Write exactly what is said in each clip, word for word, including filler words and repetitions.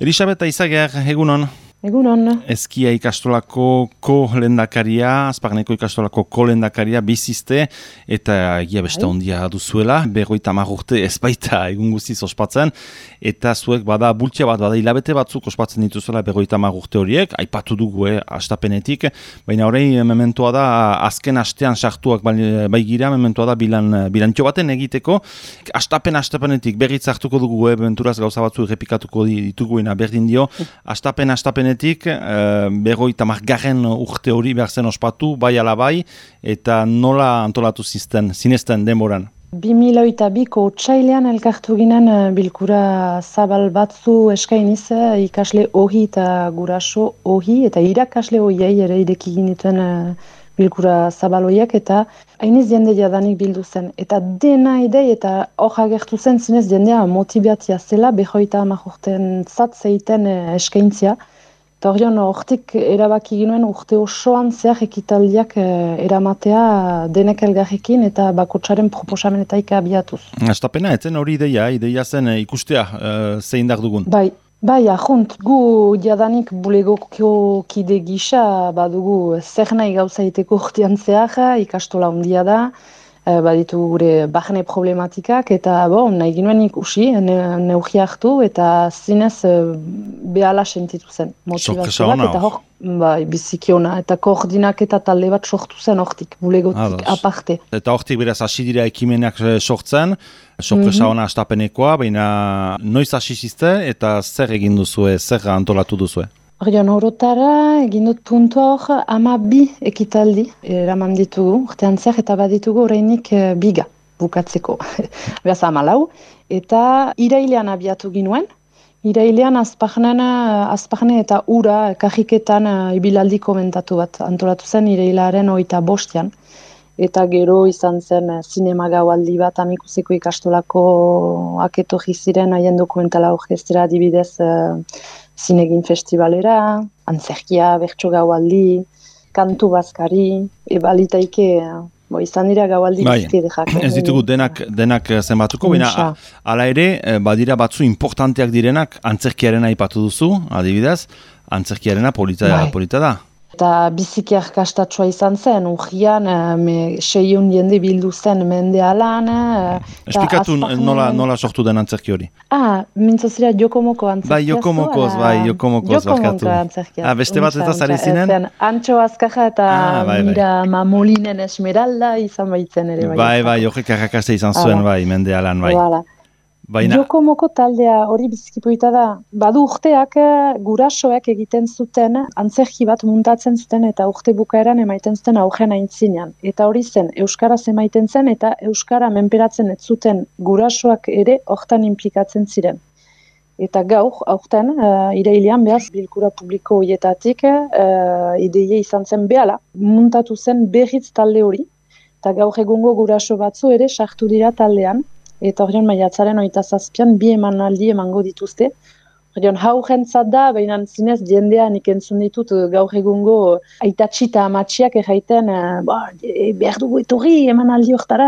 Elisabeta Izager, egunon. Egunon. Ezkia ikastolako ko-lendakaria, Azparneko ikastolako ko-lendakaria bizizte, eta egia beste ondia duzuela, berroita hamar urte ez baita egun guztiz ospatzen, eta zuek bada bultzia bat, bada hilabete batzuk ospatzen dituzuela berroita hamar urte horiek, aipatu dugu, eh, astapenetik, baina horrein mementoa da, azken astean sartuak bai gira, mementoa da bilan, bilantxo baten egiteko, astapen astapenetik berriz hartuko dugu, eh, benturaz gauza batzu errepikatuko dituguena berdin dio, astapen astapen Netik, uh, berroita margarren urte hori behar zen ospatu, bai ala bai, eta nola antolatu zizten, zinezten denboran? bi mila biko otsailean elkartu ginen bilkura zabal batzu eskainiz, ikasle ohi eta guraso ohi, eta irakasle ohiei ere ideki ginituen uh, bilkura zabaloiak, eta hainiz jende jadanik bildu zen. Eta dena idei eta hor agertu zen zinez jendea motibatia zela, berroita hamar urten zat zeiten uh, eskaintzia. Eta horion, hortik erabaki ginoen urte osoan zehar ekitaldiak eh, eramatea denek elgarrekin eta bakotsaren proposamenetaik abiatuz. Astapena, etzen hori ideia, ideia zen eh, ikustea eh, zein dar dugun? Bai, bai, ahunt, gu jadanik bulegoko kide gisa badugu zer nahi gauza iteko urtean zehar, ikastola handia da, baditu gure bahne problematikak, eta bo, nahi ginoen ikusi, ne, neugia hartu, eta zinez behala sentitu zen. Motivazio bat, eta hor, bai, bizikiona, eta koordinak eta talde bat sortu zen hortik, bulegotik aparte. Eta hortik beraz hasi dira ekimenak sortzen, sorpresa mm-hmm. ona astapenekoa, baina noiz hasi zizte, eta zer egin duzue, zer antolatu duzue? Orion, horotara, egin dut puntu hor, ama bi ekitaldi eraman ditugu, urtean zer, eta baditugu horreinik e, biga bukatzeko. Beraz, ama lau. Eta irailean abiatu ginuen, irailean azpagnen, azpagne eta ura kajiketan ibilaldi komentatu bat antolatu zen irailaren oita bostean. Eta gero izan zen zinema gaualdi bat amikuseko ikastolako aketo jiziren haien dokumentala orkestera adibidez e, zinegin festivalera, antzerkia, bertso gaualdi, kantu bazkari, ebalitaike, bo, izan dira gaualdi bai, bizkidejak. Ez ditugu denak, denak zenbatuko, baina hala ere, badira batzu importanteak direnak, antzerkiaren aipatu duzu, adibidez, antzerkiarena polita, bai. polita da. Eta biziki arkastatsua izan zen, urgian, seiehun jende bildu zen mendealan. Esplikatu nola, nola sortu den antzerki hori? Ah, mintzozira Jokomoko antzerkia. Bai, Jokomokoz, bai, Jokomokoz barkatu. Ah, beste bat eta zari zinen? Antxo Azkaja eta ah, bai, Mira bai. Mamolinen Esmeralda izan baitzen ere. Bai, bai, bai, horrek arrakaste izan zuen, bai, mendealan, bai. Voilà. Baina... Jokomoko taldea hori bizkipoita da, badu urteak gurasoek egiten zuten, antzerki bat muntatzen zuten eta urte bukaeran emaiten zuten augen aintzinean. Eta hori zen, euskaraz emaiten zen eta euskara menperatzen ez zuten gurasoak ere hortan implikatzen ziren. Eta gaur, aurten, uh, irailean behaz, bilkura publiko horietatik uh, ideie izan zen behala, muntatu zen berriz talde hori, eta gaur egungo guraso batzu ere sartu dira taldean, eta horrean maiatzaren oita zazpian bi emanaldi emango dituzte. Horrean hau jentzat da, baina zinez jendean ikentzun ditut gaur egungo aitatxi eta amatxiak erraiten ba, e, behar dugu etorri emanaldi hortara,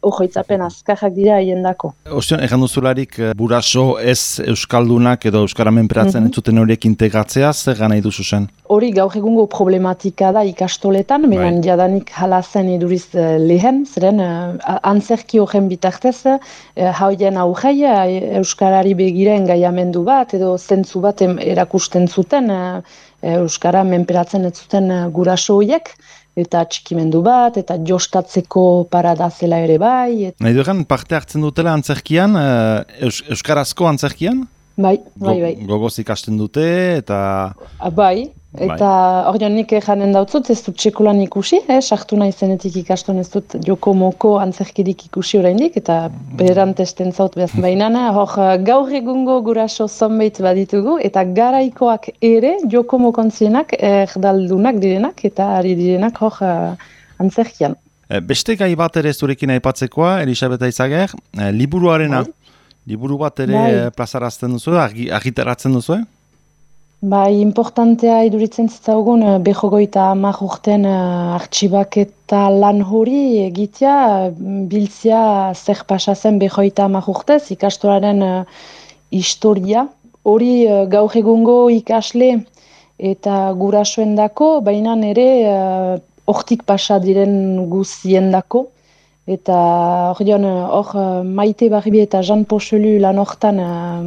horretzapen azkarrak dira hiendako. Ostean, egan duzularik buraso ez euskaldunak edo euskara menperatzen mm-hmm. entzuten horiek integratzea, zer gana iduzu zen? Hori gaur egungo problematika da ikastoletan, baina right. jadanik hala zen iduriz uh, lehen, zeren uh, antzerki horren bitartez, uh, hauen aurrei uh, euskarari begira engaiamendu bat, edo zentzu bat erakusten zuten, uh, euskara menperatzen ez zuten uh, guraso horiek, eta txikimendu bat, eta jostatzeko parada zela ere bai. Et... Nahi dugan, parte hartzen dutela antzerkian, uh, eus, euskarazko antzerkian? Bai, bai, bai. Go, gogoz ikasten dute, eta... A, bai, eta horion nik janen dautzut, ez dut txekulan ikusi, eh? Sartu nahi zenetik ikaston ez dut Jokomoko antzerkirik ikusi oraindik, eta beran testen zaut behaz bainana, hor gaur egungo guraso zonbait baditugu, eta garaikoak ere Jokomoko antzienak erdaldunak direnak, eta ari direnak hor antzerkian. Beste gai bat ere zurekin aipatzekoa, Elisabeta Izager, liburuarena, bai. Liburu bat ere bai. Plazarazten duzu, argitaratzen duzu? Bai, importantea iduritzen zitzaugun behogoita hamar urten artxibak eta lan hori egitea, biltzia zer pasazen behogoita hamar urtez, ikastolaren historia, hori uh, gaur egungo ikasle eta gurasoendako, baina ere uh, hortik pasa diren guziendako. Eta hor joan, hor Maite Barbi eta Jean Pochelu lan hortan uh,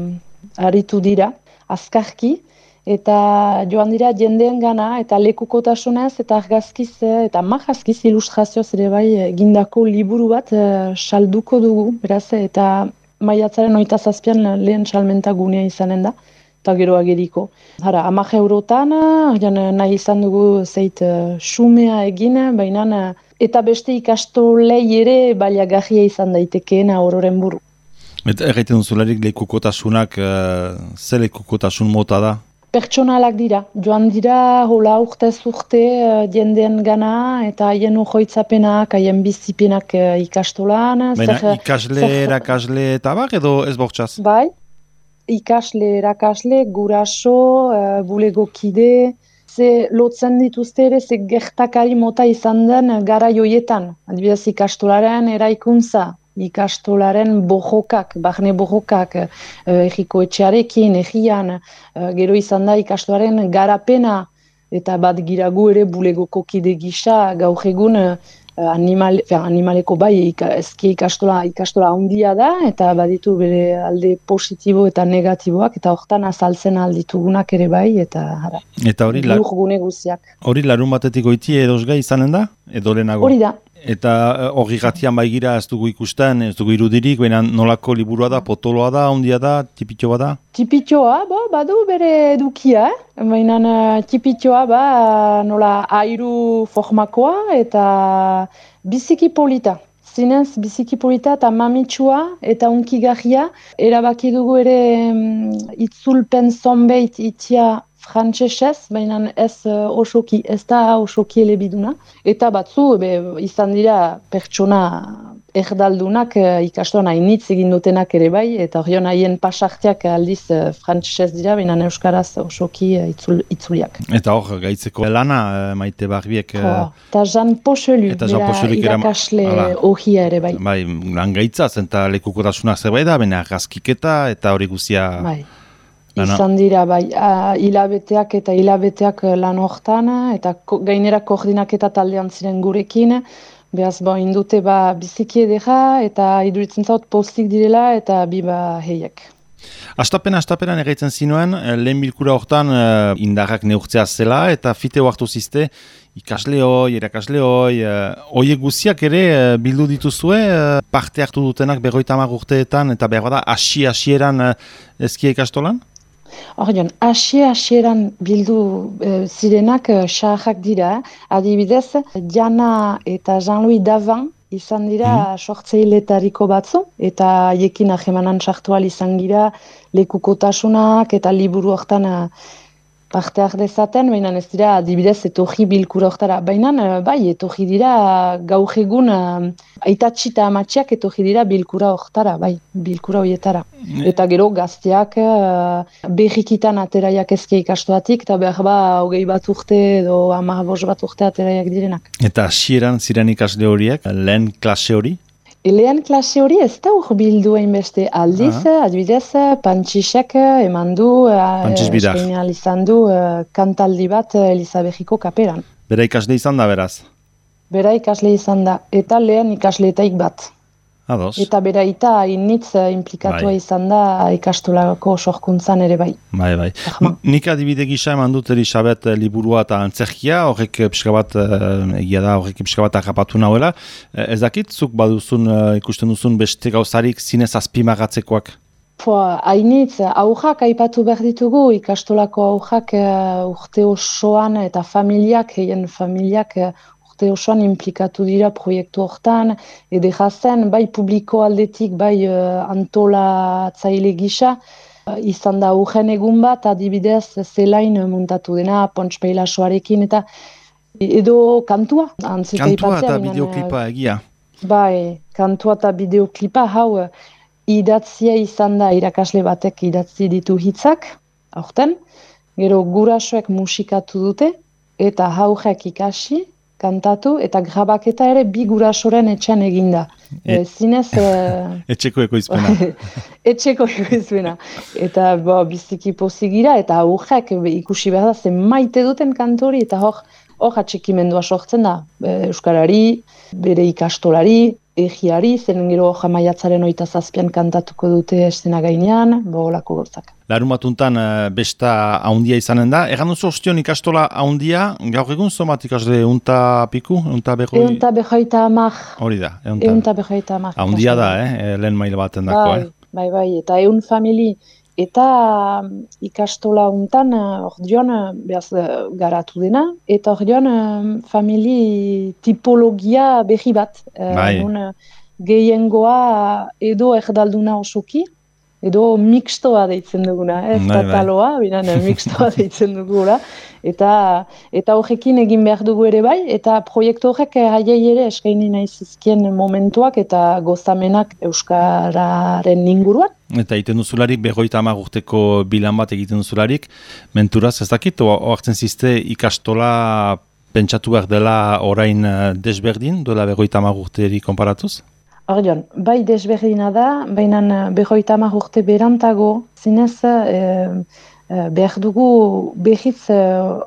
aritu dira, azkarki. Eta joan dira jendeen gana, eta lekukotasunez, eta argazkiz, eta magazkiz ilustrazioz ere bai egindako liburu bat uh, salduko dugu, beraz, eta maiatzaren oita zazpian lehen salmenta gunea izanen da, eta gero ageriko. Hara, amak eurotan, nahi izan dugu zeit uh, xumea egin, baina uh, eta beste ikastolei ere baliagarria izan daitekeena ororen buru. Eta erraiten duzularik lekukotasunak, uh, ze lekukotasun mota da? Pertsonalak dira, joan dira hola urtez urte uh, jendeen gana eta haien ujoitzapenak, haien bizipenak uh, ikastolan. Baina zer, ikasle, zer, erakasle eta bak edo ez bortxaz? Bai, ikasle, erakasle, guraso, uh, bulegokide, ze lotzen dituzte ere, ze gertakari mota izan den gara joietan. Adibidez ikastolaren eraikuntza, ikastolaren bojokak, barne bojokak, egiko etxearekin, egian, gero izan da ikastolaren garapena, eta bat giragu ere bulegoko kide gisa, gaur egun animal, animaleko bai ezki ikastola, ikastola handia da, eta baditu bere alde positibo eta negatiboak, eta hortan azaltzen alditugunak ere bai, eta hara, eta hori la... gune guziak. Hori larun batetik goiti edozgai izanen da? Edo lehenago? Hori da. Eta hori gatian baigira ez dugu ikusten, ez dugu irudirik, baina nolako liburua da, potoloa da, ondia da, tipitxoa da? Tipitxoa, bo, badu bere edukia, eh? Baina tipitxoa ba, nola airu formakoa eta biziki polita. Zinez biziki polita eta mamitsua eta unkigarria. Erabaki dugu ere mm, itzulpen zonbeit itia frantsesez, baina ez uh, osoki, ez da osoki elebiduna. Eta batzu, be, izan dira pertsona erdaldunak uh, ikastoan hainitz egin dutenak ere bai, eta horion haien pasarteak aldiz uh, frantsesez dira, baina euskaraz osoki uh, itzul, itzuliak. Eta hor, gaitzeko lana, uh, Maite Barbiek... Uh, eta Jean Pochelu, bera irakasle ohia ere bai. Bai, lan gaitzaz, eta lekukotasuna zerbait da, baina argazkiketa eta hori guzia... Bai. Izan dira, bai, hilabeteak eta hilabeteak lan hortan, eta ko, gainera koordinaketa taldean ziren gurekin, behaz, bo, indute, ba, biziki edera, eta iduritzen zaut postik direla, eta biba heiek. Astapen, astapenan erraitzen zinuen, lehen bilkura hortan indarrak neurtzea zela, eta fite hartu zizte, ikasle hoi, erakasle hoi, hoiek guziak ere bildu dituzue, parte hartu dutenak berroita hamar urteetan, eta behar bada, hasi-hasieran ezkia ikastolan? Horion, asie-asieran bildu e, zirenak e, xarrak dira, adibidez, Diana eta Jean-Louis Davan izan dira mm. sortzeiletariko batzu, eta haiekin ahemanan sartu ahal izan gira lekukotasunak eta liburu hortan parte dezaten, baina ez dira adibidez etorri bilkura hortara. Baina bai, etorri dira gaur egun aitatxi eta amatxiak etorri dira bilkura hortara, bai, bilkura horietara. Eta gero gazteak berrikitan ateraiak ezke ikastoatik, eta behar ba hogei bat urte edo hamar bost bat urte ateraiak direnak. Eta hasieran ziren ikasle horiek, lehen klase hori? Lehen klase hori ez da hor bildu hainbeste aldiz, uh-huh. adibidez, Pantxisek eman du, eskein izan du kantaldi bat Elizabethiko kaperan. Bera ikasle izan da, beraz? Bera ikasle izan da, eta lehen ikasleetaik bat. Ados. Eta bera eta hainitz implikatua bai. Izan da ikastolako sorkuntzan ere bai. Bai, bai. Nik adibide gisa eman dut Elisabet liburua eta antzerkia, horrek pixka bat, egia da, horrek pixka bat arrapatu nahuela. Ez dakit, zuk baduzun, ikusten duzun beste gauzarik zinez azpimagatzekoak? Hainitz, aurrak aipatu behar ditugu, ikastolako aurrak urte osoan eta familiak, heien familiak, urte osoan implikatu dira proiektu hortan, edera zen, bai publiko aldetik, bai uh, antolatzaile gisa, uh, izan da urgen egun bat, adibidez zelain muntatu dena, Pontxpeilasoarekin, eta edo kantua. Kantua eta bideoklipa egia. Bai, kantua eta bideoklipa, hau, idatzia izan da irakasle batek idatzi ditu hitzak, aurten, gero gurasoek musikatu dute, eta haurek ikasi, kantatu, eta grabaketa ere bi gurasoren etxean eginda. E, zinez... E... Etxeko ekoizpena. Etxeko ekoizpena. Eta bo, biziki pozigira, eta aurrek ikusi behar da, zen maite duten kantori, eta hor, hor atxikimendua sortzen da. Euskarari, bere ikastolari, egiari, zen gero jamaiatzaren oita zazpian kantatuko dute estena gainean, bo olako gozak. Larun batuntan besta haundia izanen da. Egan duzu ostion ikastola haundia, gaur egun zomat ikasle eunta piku? Eunta behoi? Eunta behoita amak. Hori da. Eunta behoita amak. Haundia da, eh? Lehen maila baten dako, bai, eh? Bai, bai, eta eun famili. Eta ikastola untan, hor dion, behaz garatu dena, eta hor dion, famili tipologia behi bat. Bai. E, gehiengoa edo erdalduna osoki, edo mixtoa deitzen duguna, ez da taloa, binan mixtoa deitzen dugula, eta eta horrekin egin behar dugu ere bai, eta proiektu horrek haiei ere eskaini nahi zizkien momentuak eta gozamenak euskararen inguruan. Eta egiten duzularik, berroita hamar urteko bilan bat egiten duzularik, menturaz ez dakit, oartzen zizte ikastola pentsatu behar dela orain desberdin, duela berroita hamar urteri konparatuz? Ordion, bai desberdina da, baina berroita hamar urte berantago, zinez e, e, behar dugu behitz e,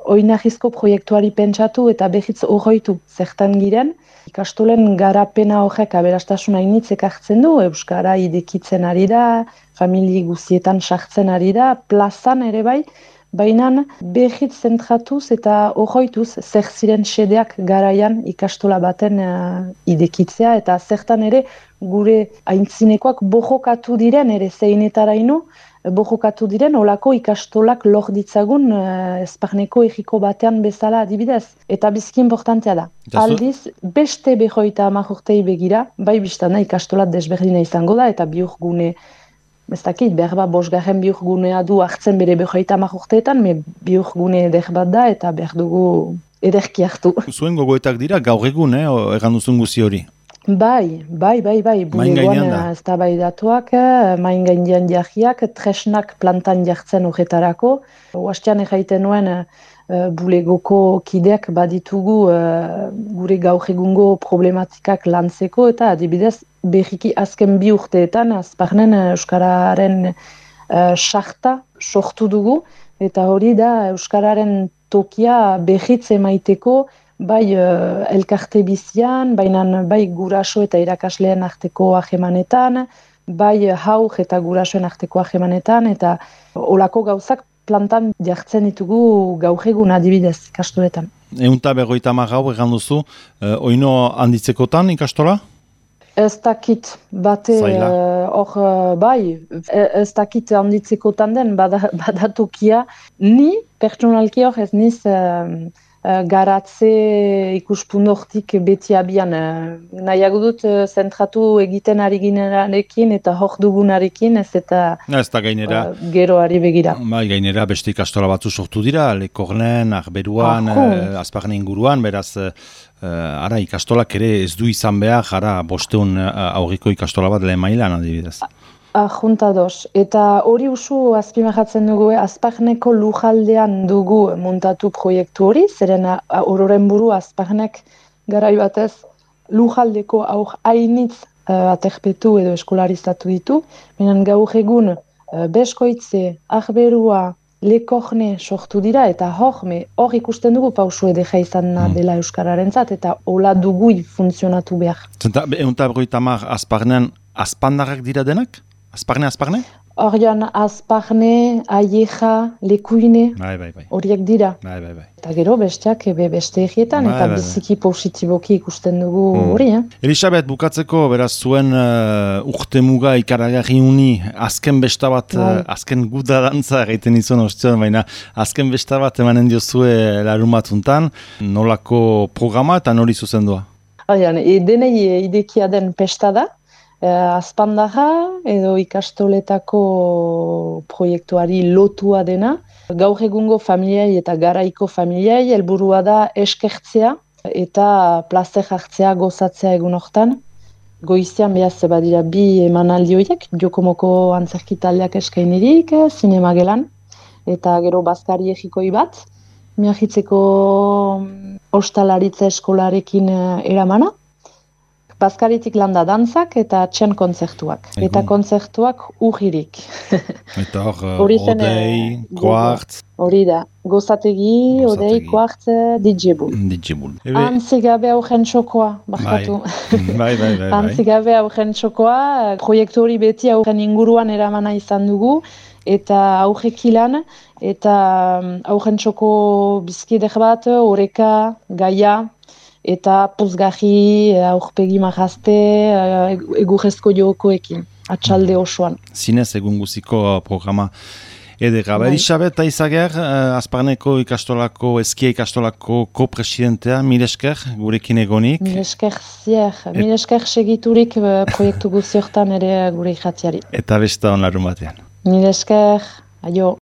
oinahizko proiektuari pentsatu eta behitz horroitu zertan giren. Ikastolen garapena horrek aberastasuna initzek hartzen du, euskara idekitzen ari da, famili guzietan sartzen ari da, plazan ere bai, baina behitz zentratuz eta horroituz zer ziren xedeak garaian ikastola baten uh, idekitzea, eta zertan ere gure aintzinekoak bojokatu diren ere zeinetaraino, bojokatu diren olako ikastolak lor ditzagun uh, ezparneko egiko batean bezala adibidez. Eta bizki importantea da. Aldiz, beste behoita hamar urtei begira, bai biztana ikastola desberdina izango da, eta biurgune ez dakit, behar bat bosgarren biurgunea du hartzen bere behoita hamar urteetan, me biurgune eder bat da, eta behar dugu ederki hartu. Zuen gogoetak dira, gaur egun, eh, egan duzun guzi hori? Bai, bai, bai, bai, bulegoan ez da bai datuak, main gainean jarriak, tresnak plantan jartzen horretarako. Oastean erraiten nuen, Uh, bulegoko kideak baditugu uh, gure gaur egungo problematikak lantzeko, eta adibidez berriki azken bi urteetan azparnen uh, euskararen sarta uh, sortu dugu, eta hori da euskararen tokia berritz emaiteko bai uh, elkarte bizian, baina bai guraso eta irakasleen arteko ahemanetan, bai haur eta gurasoen arteko ahemanetan, eta olako gauzak plantan jartzen ditugu gaur egun adibidez ikastoletan. Eunta berroita hamar gau egan duzu, eh, oino handitzekotan ikastola? Ez dakit, bate hor, uh, bai, ez dakit handitzekotan den, badatokia, ni pertsonalki hor ez niz uh, uh, garatze ikuspundortik beti abian. Uh, nahiago dut uh, zentratu egiten ari ginenarekin eta hor dugunarekin, ez eta ez da gainera, uh, geroari begira. Bai, gainera beste ikastola batzu sortu dira, Lekornen, Arberuan, uh, Azparne inguruan, beraz, uh, ara ikastolak ere ez du izan behar, ara bosteun uh, aurriko ikastola bat lehen mailan adibidez. Ajuntados. Eta hori usu azpimarratzen dugu, Azparneko lujaldean dugu montatu proiektu hori, zeren ororen buru Azparnek garai batez lujaldeko aur hainitz uh, aterpetu edo eskolarizatu ditu. Benen gaur egun uh, Beskoitze, Arberua, Lekorne sortu dira, eta hor, hor ikusten dugu pausu edeka izan mm. dela euskararentzat, eta hola dugu funtzionatu behar. Zenta, eunta berroita hamar Azparnean azpandarrak dira denak? Azparne, Azparne? Horian Azparne, Aieja, Lekuine, bai, bai, bai. horiek dira. Bai, bai, bai. Eta gero besteak ebe beste egietan, bai, eta bai, biziki bai. Positiboki ikusten dugu hori. Mm. Eh? Elisabet, bukatzeko, beraz zuen uh, urte muga ikaragarri uni, azken besta bat, bai. uh, azken guda dantza egiten izan ostion, baina azken besta bat emanen diozue larun batuntan, nolako programa eta nori zuzendua? Horian, e, denei idekia den pesta da, Uh, azpandarra edo ikastoletako proiektuari lotua dena. Gaur egungo familiai eta garaiko familiai helburua da eskertzea eta plazer hartzea gozatzea egun hortan. Goizian behaz badira bi emanaldi horiek, Jokomoko antzerki taldeak eskainirik, zinema gelan, eta gero bazkari egikoi bat. Miagitzeko ostalaritza eskolarekin eramana. Bazkaritik landa dantzak eta txen kontzertuak. Egun. Eta kontzertuak ujirik. Eta hor, odei, kuartz. Hori da, gozategi, odei, kuartz, didjebul. Didjebul. Antzigabe augen txokoa, bakatu. Bai, bai, bai. Antzigabe augen txokoa, proiektu hori beti augen inguruan eramana izan dugu, eta augekilan, eta augen txoko bizkidek bat, oreka, gaia, eta pozgahi, aurpegi marazte, egurrezko jokoekin, atxalde osoan. Zinez egun guziko programa edera. Bai. Elisabet Aizager, Azparneko ikastolako, Eskia ikastolako ko-presidentea, mil esker gurekin egonik. Mil esker zier, mil esker segiturik proiektu guziortan ere gure irratiari. Eta besta on larun batean. Mil esker, aio.